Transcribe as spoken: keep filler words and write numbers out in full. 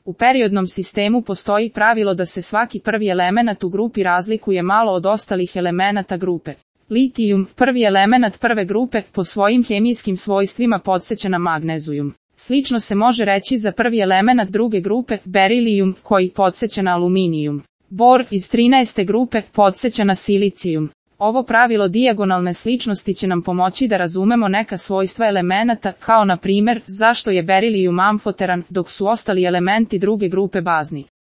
U periodnom sistemu postoji pravilo da se svaki prvi elemenat u grupi razlikuje malo od ostalih elemenata grupe. Litijum, prvi elemenat prve grupe, po svojim hemijskim svojstvima podseća na magnezijum. Slično se može reći za prvi elemenat druge grupe, berilijum, koji podseća na aluminijum. Bor iz trinaeste grupe podseća na silicijum. Ovo pravilo dijagonalne sličnosti će nam pomoći da razumemo neka svojstva elemenata, kao na primjer, zašto je berilijum amfoteran, dok su ostali elementi druge grupe bazni.